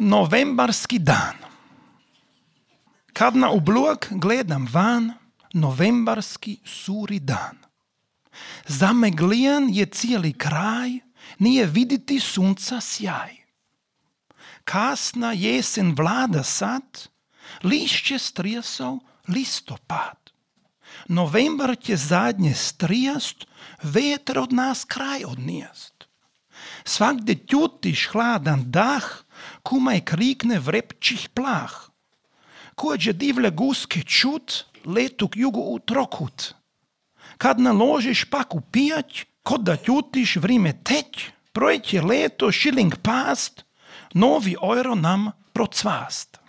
Novembarski dan. Kad na oblak gledam van, novembarski suri dan. Zameglijan je cijeli kraj, nije vidjeti sunca sjaj. Kasna jesen vlada sad, lišće strijasao listopad. Novembar će zadnje strijast, veter od nas kraj odnijast. Svagdje tjutiš hladan dah, kumaj krikne vrepčih plah. Kođe divlje guske čut, letu k jugu u trokut. Kad naložiš pak u pijać, kod da tjutiš vrime teć, projeće leto šiling past, novi euro nam procvast.